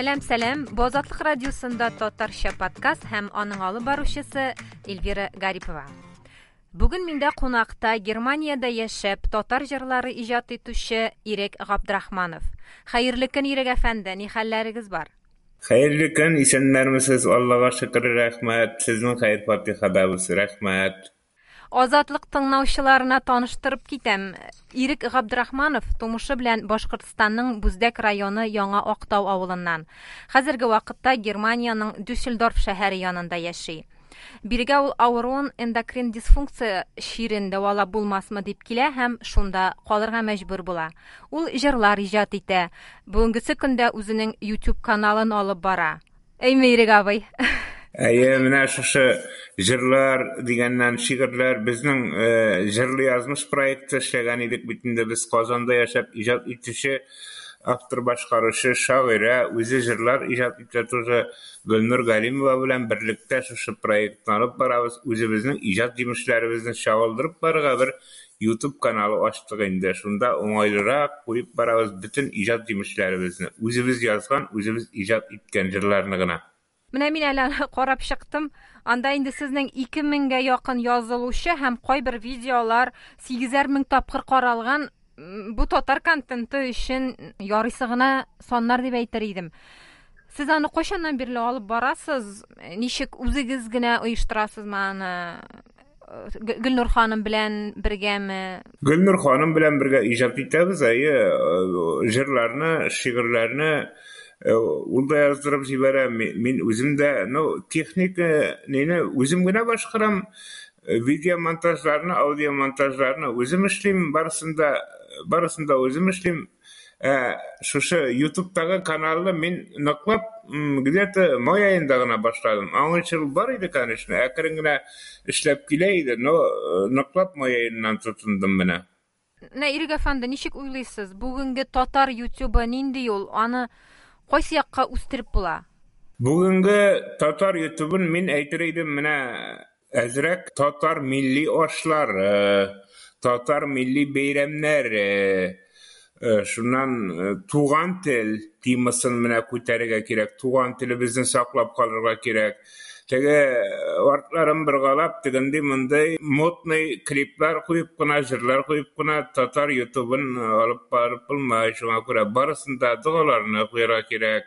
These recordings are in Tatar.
Сәлам, сәлам. Бу Азатлык радиосында татарча подкаст һәм аның алып баручысы Эльвира Гарипова. Бүген миндә кунакта Германиядә яшәп, татар җырлары иҗат итүче Ирек Габдрахманов. Хәерле көн, Ирек әфәнде, ни хәлләрегез бар? Хәерле көн, исәннәрмесез, Аллага шөкер, рәхмәт. Сезнең хәер-фатихадабыз, рәхмәт. Азатлык тыңлаучыларына таныштырып китәм. Ирек Габдрахманов тумышы белән Башкортстанның Бүздәк районы Яңа Актау авылыннан. Хәзерге вакытта Германиянең Дюссельдорф шәһәре янында яши. Бирегә ул авыруын эндокрин дисфункция чирен дәвалап булмасмы дип килә һәм шунда калырга мәҗбүр була. Ул җырлар иҗат итә. Бүгенгесе көндә үзенең YouTube каналын алып бара. Әйме, Ирек абый? Әйе, менә шушы җырлар дигәннән шигырьләр безнең э, җырлы язмыш проекты эшләгән идек бит инде без Казанда яшәп иҗат итүче автор башкаручы шагыйрә үзе җырлар иҗат итә тоже Гөлнур Галимова белән берлектә шушы проектны алып барабыз. Үзебезнең иҗат җимешләребезне чагылдырып барырга бер YouTube каналы ачтык инде. Шунда уңайлырак куеп барабыз бөтен иҗат җимешләребезне. Үзебез язган, үзебез иҗат иткән җырларны гына. Менә мин әле аны карап чыктым. Анда инде сезнең 2000гә якын язылучы һәм кайбер видеолар 8 мең тапкыр каралган. Бу татар контенты өчен ярыйсы гына саннар дип әйтер идем. Сез аны кайчаннан бирле алып барасыз? Ничек үзегез генә оештырасызмы аны? Гөлнур ханым белән бергәме? Гөлнур ханым белән бергә иҗат итәбез, әйе, җырларны, шигырьләрне ул да яздырып җибәрә, мин үзем дә, ну, техника нине үзем генә башкарам, видеомонтажларны, аудиомонтажларны үзем эшлим, барысын да, барысын да үзем эшлим. Ә шушы YouTube'тагы каналны мин ныклап где-то май аенда гына башладым. Аңынчы ул бар иде, конечно, әкрен генә эшләп килә иде, но ныклап май аеннан тотындым менә. Менә Ирек әфәнде, ничек уйлыйсыз, бүгенге татар YouTube'ы нинди ул? Аны кайсы якка үстереп була? Бүгенге татар YouTube'ын мин әйтер идем, менә әзрәк татар милли ашлары, татар милли бәйрәмнәре, шуннан туган тел темасын менә күтәрергә кирәк, туган телебезне саклап калырга кирәк. Теге артларын боргалап, тегенди мондый модный клиплар куеп кына, җырлар куеп кына татар YouTube'ын алып барып булмый. Шуңа күрә барысын да догаларны куярга кирәк.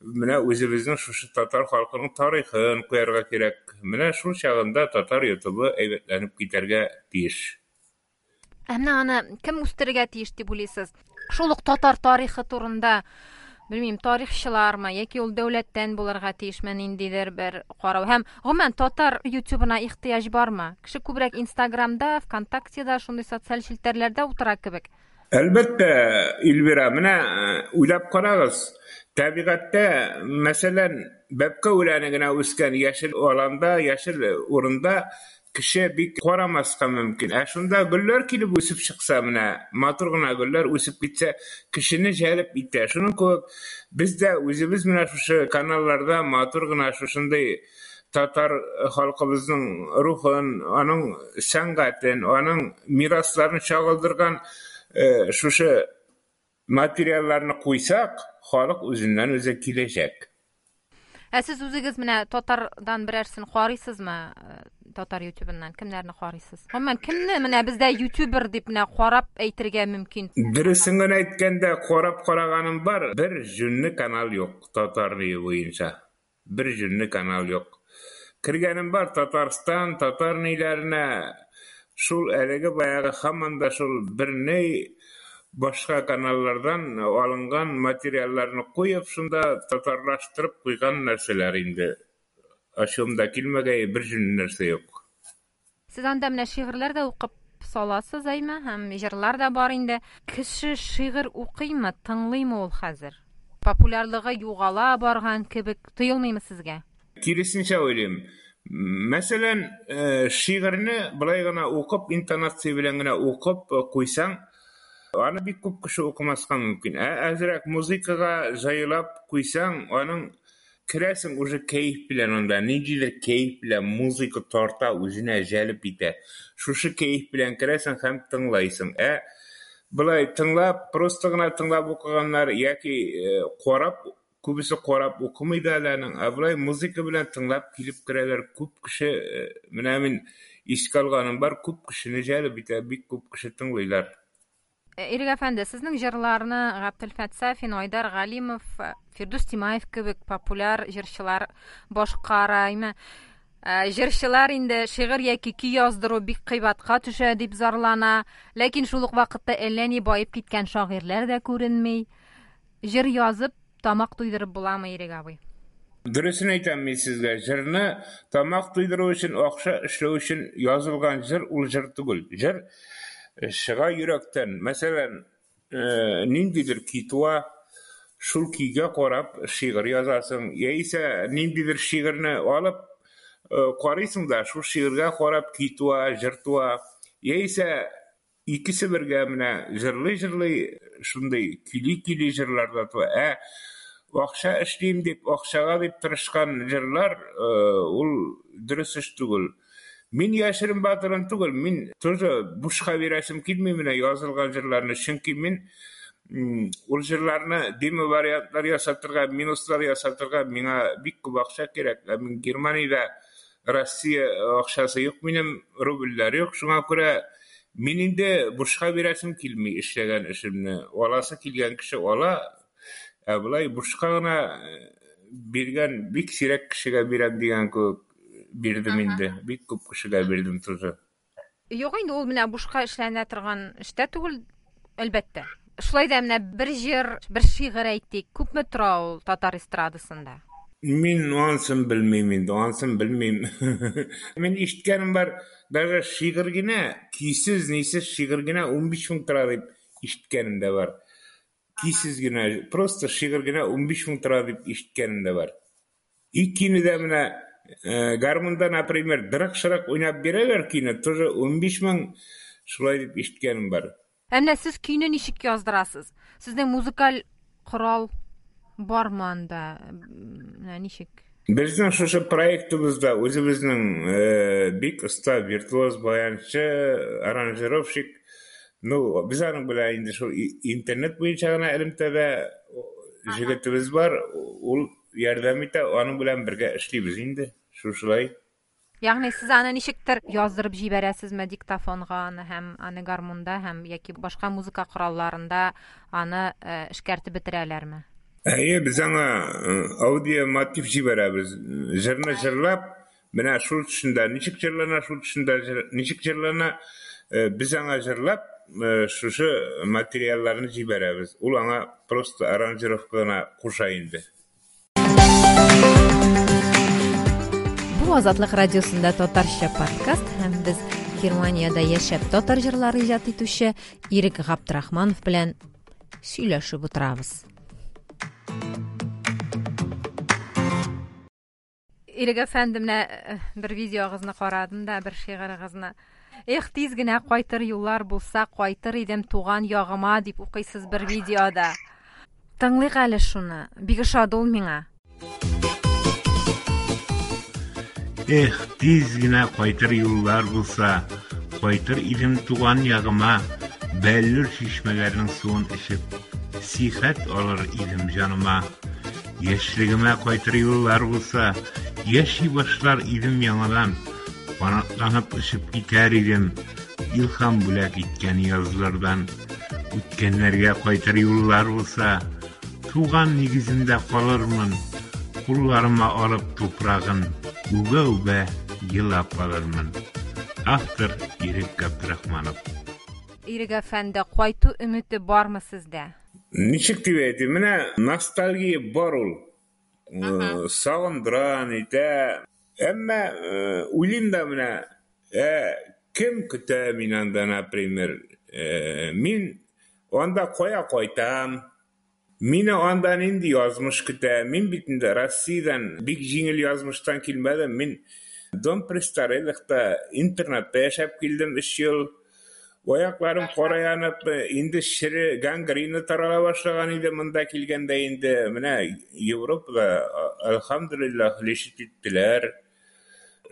Менә үзебезнең шушы татар халкының тарихын куярга кирәк. Менә шул чагында татар YouTube'ы әйбәтләнеп китәргә тиеш. Ә менә аны кем үстерергә тиеш дип уйлыйсыз? Шул ук татар тарихы турында, белмим, тарихчылармы яки ул дәүләттән булырга тиешме ниндидер бер карау? Һәм гомумән татар YouTube'ына ихтыяҗ бармы? Кеше күбрәк Инстаграмда, ВКонтактеда, шундый социаль челтәрләрдә утыра кебек. Әлбәттә, Эльвира, менә уйлап карагыз, табигатьтә, мәсәлән, бәбкә үләне генә үскән яшел аланда, яшел урында кеше бик карамаска мөмкин. Ә шунда гөлләр килеп үсеп чыкса, менә матур гына гөлләр үсеп китсә, кешене җәлеп итә. Шуның кебек без дә үзебез менә шушы каналларда матур гына шушындый татар халкыбызның рухын, аның сәнгатен, аның мирасларын чагылдырган шушы материалларны куйсак, халык үзеннән үзе киләчәк. Ә сез үзегез менә татардан берәрсен карыйсызмы? Татар ютубыннан кемнәрне карыйсыз? Гомумән, кемне менә бездә ютубер дип менә карап әйтергә мөмкин? Дөресен генә әйткәндә, карап караганым бар, бер җүнле канал юк татар буенча. Бер җүнле канал юк. Кергәнем бар Татарстан, татар ниләренә, шул әлеге баягы һаман да шул берни башка каналлардан алынган материалларны куеп, шунда татарлаштырып куйган нәрсәләр инде. Ачуым да килмәгәе, бер җүнле нәрсә юк. Сез анда менә шигырьләр дә укып саласыз, әйме, һәм җырлар да бар инде. Кеше шигырь укыймы, тыңлыймы ул хәзер? Популярлыгы югала барган кебек тоелмыймы сезгә? Киресенчә уйлыйм. Мәсәлән, шигырьне былай гына укып, интонация белән генә укып куйсаң, аны бик күп кеше укымаска мөмкин. Ә әзрәк музыкага җайлап куйсаң, аның керәсең уже кәеф белән анда, ниндидер кәеф белән музыка тарта, үзенә җәлеп итә. Шушы кәеф белән керәсең һәм тыңлайсың. Ә былай тыңлап, просто гына тыңлап укыганнар яки карап Күбесе карап укымый да әле аның. Ә болай музыка белән тыңлап килеп керәләр. Күп кеше, менә мин искә алганым бар, күп кешене җәлеп итә, бик күп кеше тыңлыйлар. Ирек әфәнде, сезнең җырларны Габделфәт Сафин, Айдар Галимов, Фирдүс Тимаев кебек популяр җырчылар башкара. Әйме, җырчылар инде шигырь яки көй яздыру бик кыйбатка төшә дип зарлана. Ләкин шул ук вакытта әллә ни баеп киткән шагыйрьләр дә күренми. Җыр язып, тамак туйдырып буламы, Ирек абый? Дөресен әйтәм мин сезгә, җырны тамак туйдыру өчен, акча эшләү өчен язылган җыр ул җыр түгел. Җыр чыга йөрәктән. Мәсәлән, ниндидер көй туа, шул көйгә карап шигырь язасың, яисә ниндидер шигырьне алып карыйсың да, шул шигырьгә карап көй туа, җыр туа, яисә икесе бергә менә җырлый-җырлый шундый көйли-көйли җырлар да туа. Ә акча эшлим дип, акчага дип тырышкан җырлар ул дөрес эш түгел. Мин яшерен батырын түгел, мин тоже бушка бирәсем килми менә язылган җырларны, чөнки мин ул җырларны демо вариантлар ясатырга, минуслар ясатырга миңа бик күп акча кирәк. Ә мин Германиядә Россия акчасы юк минем, рубльләр юк, шуңа күрә мин инде бушка бирәсем килми эшләгән эшемне. Аласы килгән кеше ала, ә болай бушка гына биргән бик сирәк кешегә бирәм дигән кебек бирдем инде. Бик күп кешегә бирдем тоже. Юк инде ул менә бушка эшләнә торган эштә түгел, әлбәттә. Шулай да менә бер җыр, бер шигырь әйтик, күпме тора ул татар эстрадасында? Мин анысын белмим инде, анысын белмим. Мин ишеткәнем бар, даже шигырь генә, көйсез, нисез шигырь генә 15 мең тора дип ишеткәнем дә бар. Көйсез генә, просто шигырь генә 15 мең тора дип ишеткәнем дә бар. И көйне дә менә гармунда, например, дырык-шырык уйнап бирәләр көйне, тоже 15 мең шулай дип ишеткәнем бар. Ә менә сез көйне ничек яздырасыз? Сезнең музыкаль корал бармы анда? Менә ничек? Безнең шушы проектыбызда үзебезнең бик оста виртуоз баянчы, аранжировщик. Ну, без аның белән инде шул интернет буенча гына элемтәдә җегетебез бар, ул ярдәм итә, аның белән бергә эшлибез инде. Шушылай. Ягъни сез аны ничектер яздырып җибәрәсезме диктофонга аны һәм аны гармунда һәм яки башка музыка коралларында аны эшкәртеп бетерәләрме? Әйе, без аңа аудио мотив җибәрәбез. Җырны җырлап, менә шул төшендә ничек җырлана, шул төшендә ничек җырлана, без аңа җырлап, шушы материалларны җибәрәбез. Ул аңа просто аранжировка гына куша инде. Бу Азатлык радиосында татарча подкаст һәм без Германиядә яшәп татар җырлары иҗат итүче Ирек Габдрахманов белән сөйләшеп утырабыз. Ирек әфәнде, менә бер видеогызны карадым да, бер шигырыгызны. Эх, тиз генә кайтыр юллар булса, кайтыр идем туган ягыма, дип укыйсыз бер видеода. Тыңлыйк әле шуны. Бик ошады ул миңа. Эх, тиз генә кайтыр юллар булса, кайтыр идем туган ягыма, бәллүр чишмәләрнең суын эчеп, сихәт алыр идем җаныма. Яшьлегемә кайтыр юллар булса, яши башлар идем яңадан, канатланып очып китәр идем, илһам бүләк иткән язлардан. Үткәннәргә кайтыр юллар булса, туган нигеземдә калырмын, кулларыма алып туфрагын, үбә-үбә елап алырмын. Автор Ирек Габдрахманов. Ирек әфәнде, кайту өмете бармы сездә? Ничек дип әйтим, менә ностальгия бар ул. Сагындыра, нитә. Әмма уйлыйм да менә, кем көтә мин анда, например, мин анда кая кайтам, мине анда нинди язмыш көтә, мин бит инде Россиядән бик җиңел язмыштан килмәдем, мин дом престарелыхта, интернатта яшәп килдем 3 ел. Аякларым кара янып, инде шире гангрена тарала башлаган иде монда килгәндә инде. Менә Европада, альхамдулиллах, лечить иттеләр.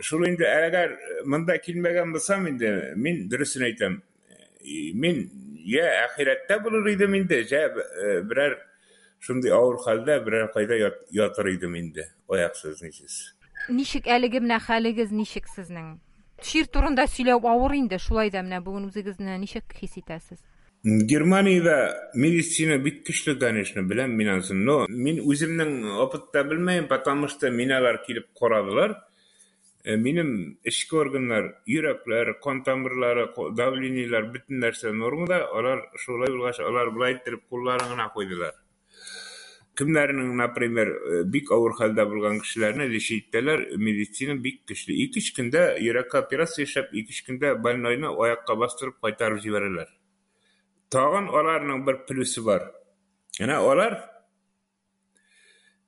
Шул инде әгәр монда килмәгән булсам инде, мин дөресен әйтәм, мин я ахирәттә булыр идем инде, я берәр шундый авыр хәлдә берәр кайда ятыр идем инде, аяксыз, нисез. Ничек әлеге менә хәлегез ничек сезнең? Чир турында сөйләү авыр инде, шулай да менә бүген үзегезне ничек хис итәсез? Германиядә медицина бик көчле, конечно, беләм мин анысын, но мин үземнең опытта белмәем, потому что мине алар килеп карадылар. Минем эчке органнар, йөрәкләр, кан тамырлары, давлениеләр, бөтен нәрсә нормада. Алар шулай булгач, алар болай иттереп кулларын гына куйдылар. Кемнәрнең, например, бик авыр хәлдә булган кешеләрне лечить итәләр, медицина бик көчле. 2-3 көндә йөрәккә операция эшләп, 2-3 көндә больнойны аякка бастырып кайтарып җибәрәләр. Тагын аларның бер плюсы бар. Әнә алар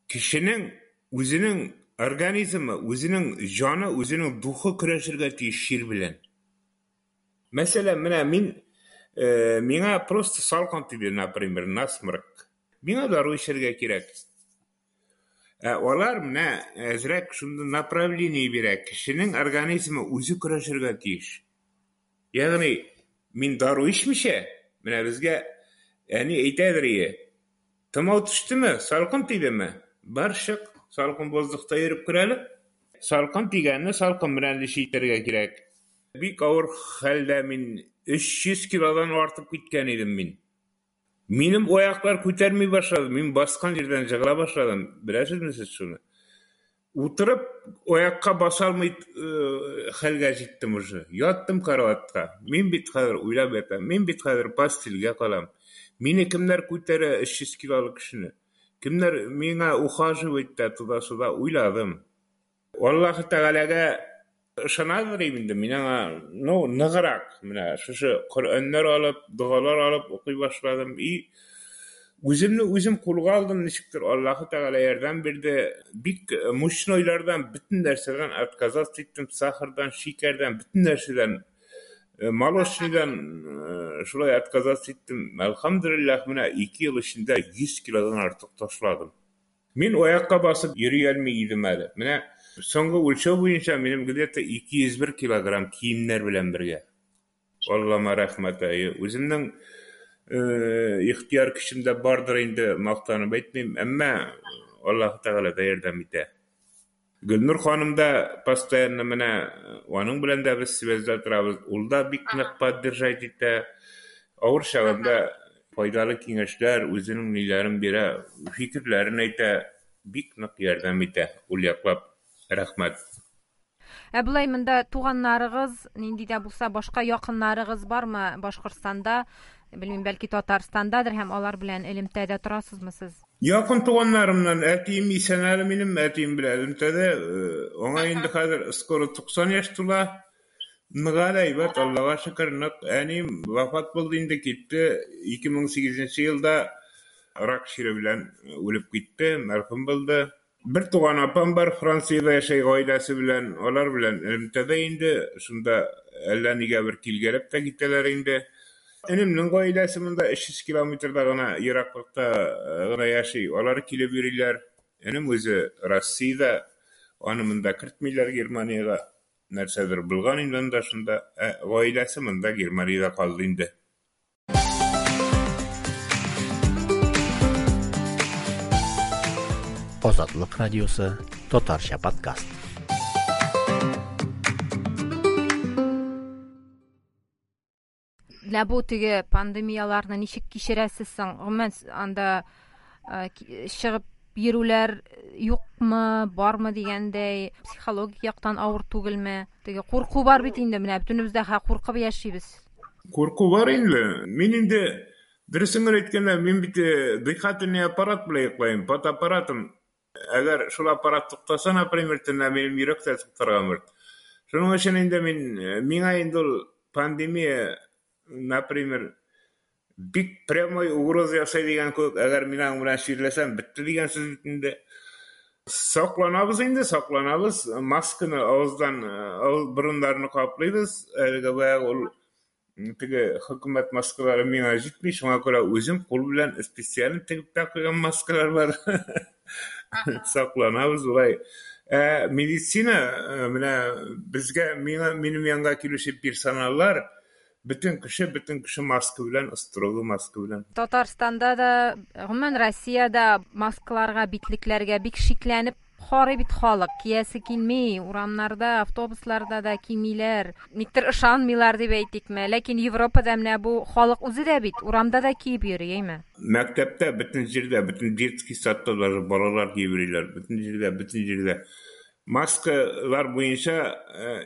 кешенең үзенең организмы, үзенең җаны, үзенең духы көрәшергә тиеш чир белән. Мәсәлән, менә мин, миңа просто салкын тиде, например, насморк. Миңа дару эчәргә кирәк. Ә алар менә әзрәк шундый направление бирә. Кешенең организмы үзе көрәшергә тиеш. Ягъни мин дару эчмичә, менә безгә әни әйтәдер ие. Томау төштеме, салкын тидеме? Бар чык, салкын воздухта йөреп кер әле. Салкын тигәнне салкын белән лечить итәргә кирәк. Бик авыр хәлдә мин 300 килодан артып киткән идем мин. Минем аяклар күтәрми башлады, мин баскан җирдән җыгыла башладым. Беләсезме сез шуны? Утырып аякка баса алмый хәлгә җиттем уже. Яттым караватка. Мин бит хәзер уйлап ятам. Мин бит хәзер постельгә калам. Мине кемнәр күтәрә 300 килолы кешене? Кемнәр миңа ухаживать итә, туда-сюда уйладым. Аллаһы Тәгаләгә ышанадыр инде. Мин аңа, ну, ныграк менә шушы Коръәннәр алып, догалар алып укый башладым. И үземне үзем кулга алдым, ничектер Аллаһы Тәгалә ярдәм бирде. Бик мучнойлардан, бөтен нәрсәдән отказаться иттем, сахардан, шикәрдән, бөтен нәрсәдән, молочныйдан шулай отказаться иттем. Әлхәмдүлилләһ, менә 2 ел эчендә 100 килодан артык ташладым. Мин аякка басып йөри алмый идем әле. Менә соңгы үлчәү буенча минем где-то 201 килограмм киемнәр белән бергә. Аллама рәхмәт, әйе. Үземнең ихтыяр көчем дә бардыр инде, мактанып әйтмим, әмма Аллаһ Тәгалә дә ярдәм итә. Гөлнур ханым да постоянно менә аның белән дә без связьда торабыз. Ул да бик нык поддержать итә. Авыр чагында файдалы киңәшләр, үзенең ниләрен бирә, фикерләрен әйтә, бик нык ярдәм итә. Ул яклап рәхмәт. Ә болай монда туганнарыгыз, нинди дә булса башка якыннарыгыз бармы Башкортстанда? Белмим, бәлки Татарстандадыр һәм алар белән элемтәдә торасызмы сез? Якын туганнарымнан әтием исән әле минем, әтием белән элемтәдә. Аңа инде хәзер скоро 90 яшь тула. Нык әле әйбәт, Аллага шөкер, нык. Әнием вафат булды инде, китте. 2008 елда рак чире белән үлеп китте, мәрхүм булды. Бер туган апам бар, Франциядә яшәй гаиләсе белән, алар белән элемтәдә инде, шунда әллә нигә бер килгәләп тә китәләр инде. Энемнең гаиләсе монда 300 километрда гына ераклыкта гына яши, алар килеп йөриләр. Энем үзе Россиядә, аны монда кертмиләр Германиягә. Нәрсәдер булган инде анда шунда. Ә гаиләсе монда Германиядә калды инде. Азатлык радиосы, татарча подкаст. Менә бу теге пандемияларны ничек кичерәсез соң? Гомумән, анда чыгып йөрүләр юкмы, бармы дигәндәй, психологик яктан авыр түгелме? Теге курку бар бит инде, менә бөтенебез дә куркып яшибез. Курку бар инде. Мин инде, дөресен генә әйткәндә, мин бит дыхательный аппарат белән йоклыйм, под аппаратом. Әгәр шул аппарат туктаса, например, төнлә минем йөрәк тә туктарга мөмкин. Шуның өчен инде миңа инде ул пандемия, например, бик прямой угроза ясай дигән кебек, әгәр мин аның белән чирләсәм, бетте дигән сүз бит инде. Сакланабыз инде, сакланабыз. Масканы авыздан, авыз борыннарны каплыйбыз. Әлеге баягы ул теге хөкүмәт маскалары миңа җитми, шуңа күрә үзем кул белән специаль тегеп тә куйган маскалар бар. Сакланабыз улай. Медицина, менә безгә, миңа, минем янга килүче персоналлар, Бөтен кеше, бөтен кеше маска белән, строго маска белән. Татарстанда да, гомумән Россиядә маскаларга, битлекләргә бик шикләнеп карый бит халык. Киясе килми, урамнарда, автобусларда да кимиләр. Никтер ышанмыйлар дип әйтикме. Ләкин Европада менә бу халык үзе дә бит урамда да киеп йөри, әйме? Мәктәптә, бөтен җирдә, бөтен детский садта даже балалар киеп йөриләр. Бөтен җирдә, бөтен җирдә. Маскалар буенча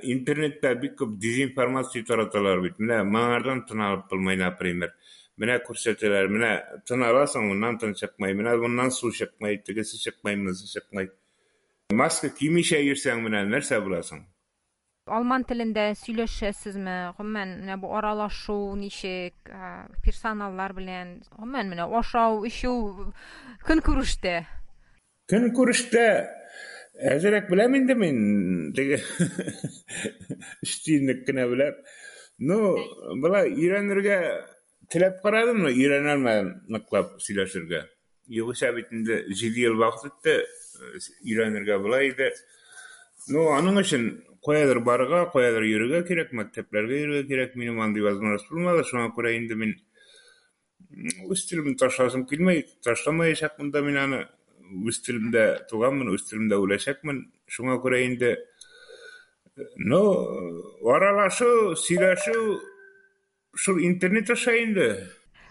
интернетта бик күп дезинформация тараталар бит. Менә моңардан тын алып булмый, например. Менә күрсәтәләр, менә тын аласың, моннан тын чыкмый, менә моннан су чыкмый, тегесе чыкмый, монысы чыкмый. Маска кимичә йөрсәң, менә нәрсә буласың? Алман телендә сөйләшәсезме? Гомумән, менә бу аралашу ничек, персоналлар белән, гомумән, менә ашау, эчү, көнкүрештә? Көнкүрештә әзрәк беләм инде мин, теге өч тиенлек кенә беләм. Ну, болай өйрәнергә теләп карадым, но өйрәнә алмадым ныклап сөйләшергә. Югыйсә бит инде 7 ел вакыт үтте, өйрәнергә була иде. Ну, аның өчен каядыр барырга, каядыр йөрергә кирәк, мәктәпләргә йөрергә кирәк. Минем андый возможность булмады, шуңа күрә инде мин үз телемне ташласым килми, ташламаячакмын да мин аны. Үз телемдә туганмын, үз телемдә үләчәкмен. Шуңа күрә инде, ну, аралашу, сөйләшү шул интернет аша инде.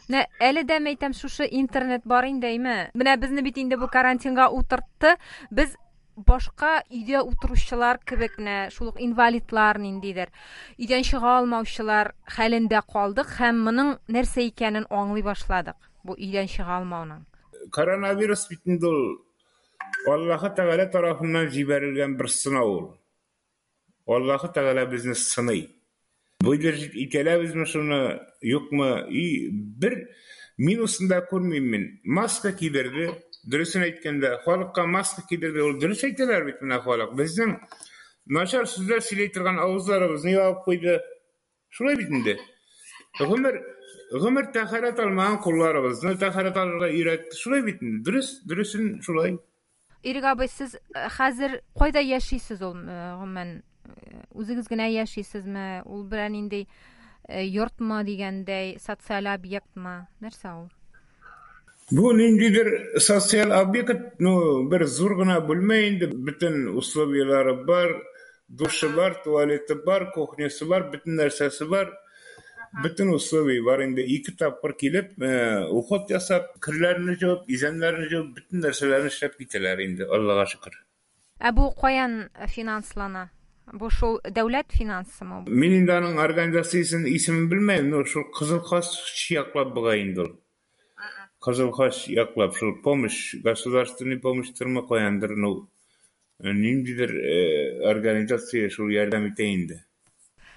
Менә әле дә әйтәм, шушы интернет бар инде, әйме? Менә безне бит инде бу карантинга утыртты. Без башка өйдә утыручылар кебек, менә шул ук инвалидлар ниндидер, өйдән чыга алмаучылар хәлендә калдык һәм моның нәрсә икәнен аңлый башладык. Бу өйдән чыга алмауның. Коронавирус бит инде ул Аллаһы Тәгалә тарафыннан җибәрелгән бер сынау ул. Аллаһы Тәгалә безне сыный. Выдержать итәләбезме шуны, юкмы? И бер минусын да күрмим мин. Маска кидерде, дөресен әйткәндә, халыкка маска кидерде. Ул дөрес әйтәләр бит менә халык. Безнең начар сүзләр сөйли торган авызларыбызны ябып куйды. Шулай бит инде. Гомер гомер тәһарәт алмаган кулларыбызны тәһарәт алырга өйрәтте. Шулай бит инде. Дөрес, дөресен шулай. Ирек абый, сез хәзер кайда яшисез ул, гомумән, үзегез генә яшисезме? Ул берәр нинди йортмы дигәндәй, социаль объектмы? Нәрсә ул? Бу ниндидер социаль объект, ну, бер зур гына бүлмә инде, бөтен условияләре бар, душы бар, туалеты бар, кухнясы бар, бөтен нәрсәсе бар. Бөтен условия бар инде. Ике тапкыр килеп, уход ясап, керләрне җуып, изәннәрне җуып, бөтен нәрсәләрне эшләп китәләр инде, Аллага шөкер. Ә бу каян финанслана? Бу шул дәүләт финансымы? Мин инде аның организациясен исемен белмәйм, но шул Кызыл Хач яклап бугай инде ул. Кызыл Хач яклап, шул помощь, государственный помощьтырмы каяндыр, ну, ниндидер организация шул ярдәм итә инде.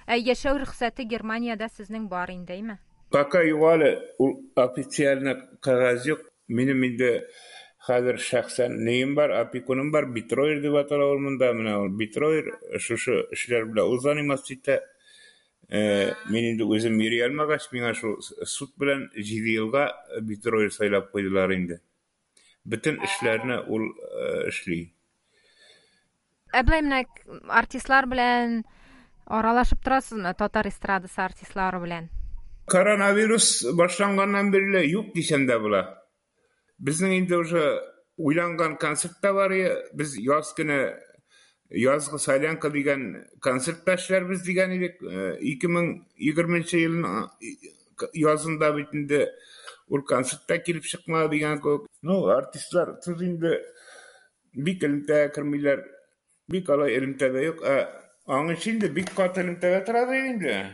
Ә яшәү рөхсәте Германиядә сезнең бар инде, әйме? Пока юк әле, ул официально кәгазь юк. Минем инде хәзер шәхсән неем бар, опекуным бар, Битроер дип атала ул монда. Менә ул Битроер шушы эшләр белән ул заниматься итә. Мин инде үзем йөри алмагач, миңа шул суд белән 7 елга Битроер сайлап куйдылар инде. Бөтен эшләрне ул эшли. Ә болай менә артистлар белән аралашып торасызмы? Татар эстрадасы артистлары белән? Коронавирус башланганнан бирле юк дисәм дә була. Безнең инде уже уйланган концерт та бар. Без яз көне язгы солянка дигән концерт та эшләрбез дигән идек. 2020 елның язында бит инде ул концерт та килеп чыкмады дигән кебек. Ну, артистлар тут инде бик элемтәгә кермиләр. Бик алай элемтәдә юк. Ә аңынчы инде бик каты элемтәдә тора инде.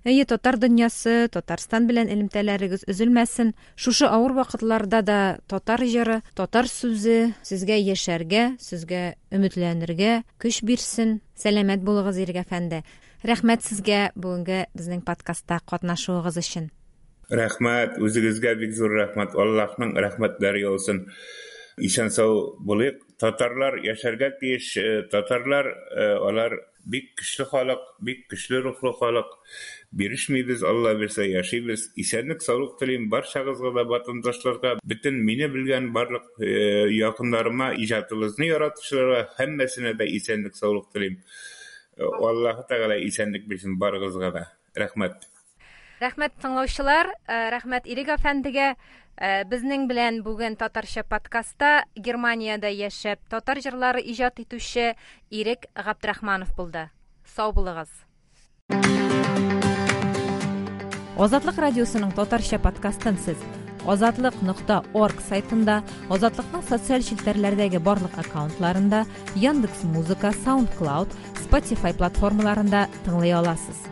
Әйе, татар дөньясы, Татарстан белән элемтәләрегез өзелмәсен. Шушы авыр вакытларда да татар җыры, татар сүзе сезгә яшәргә, сезгә өметләнергә көч бирсен. Сәламәт булыгыз, Ирек әфәнде. Рәхмәт сезгә бүгенге безнең подкастта катнашуыгыз өчен. Рәхмәт, үзегезгә бик зур рәхмәт. Аллаһның рәхмәтләре яусын. Исән-сау булыйк. Татарлар яшәргә тиеш. Татарлар алар бик көчле халык, бик көчле рухлы халык. Бирешмибез, Алла бирсә яшибез. Исәнлек, саулык телим барчагызга да, ватандашларга, бөтен мине белгән барлык якыннарыма, иҗатыбызны яратучыларга һәммәсенә дә исәнлек, саулык телим. Аллаһы Тәгалә исәнлек бирсен барыгызга да. Рәхмәт. Рәхмәт тыңлаучылар, рәхмәт Ирек әфәндегә. Безнең белән бүген татарча подкастта Германиядә яшәп татар җырлары иҗат итүче Ирек Габдрахманов булды. Сау булыгыз. Азатлык радиосының татарча подкастын сез азатлык.орг сайтында, Азатлыкның социаль челтәрләрдәге барлык аккаунтларында, Яндекс Музыка, SoundCloud, Spotify платформаларында тыңлый аласыз.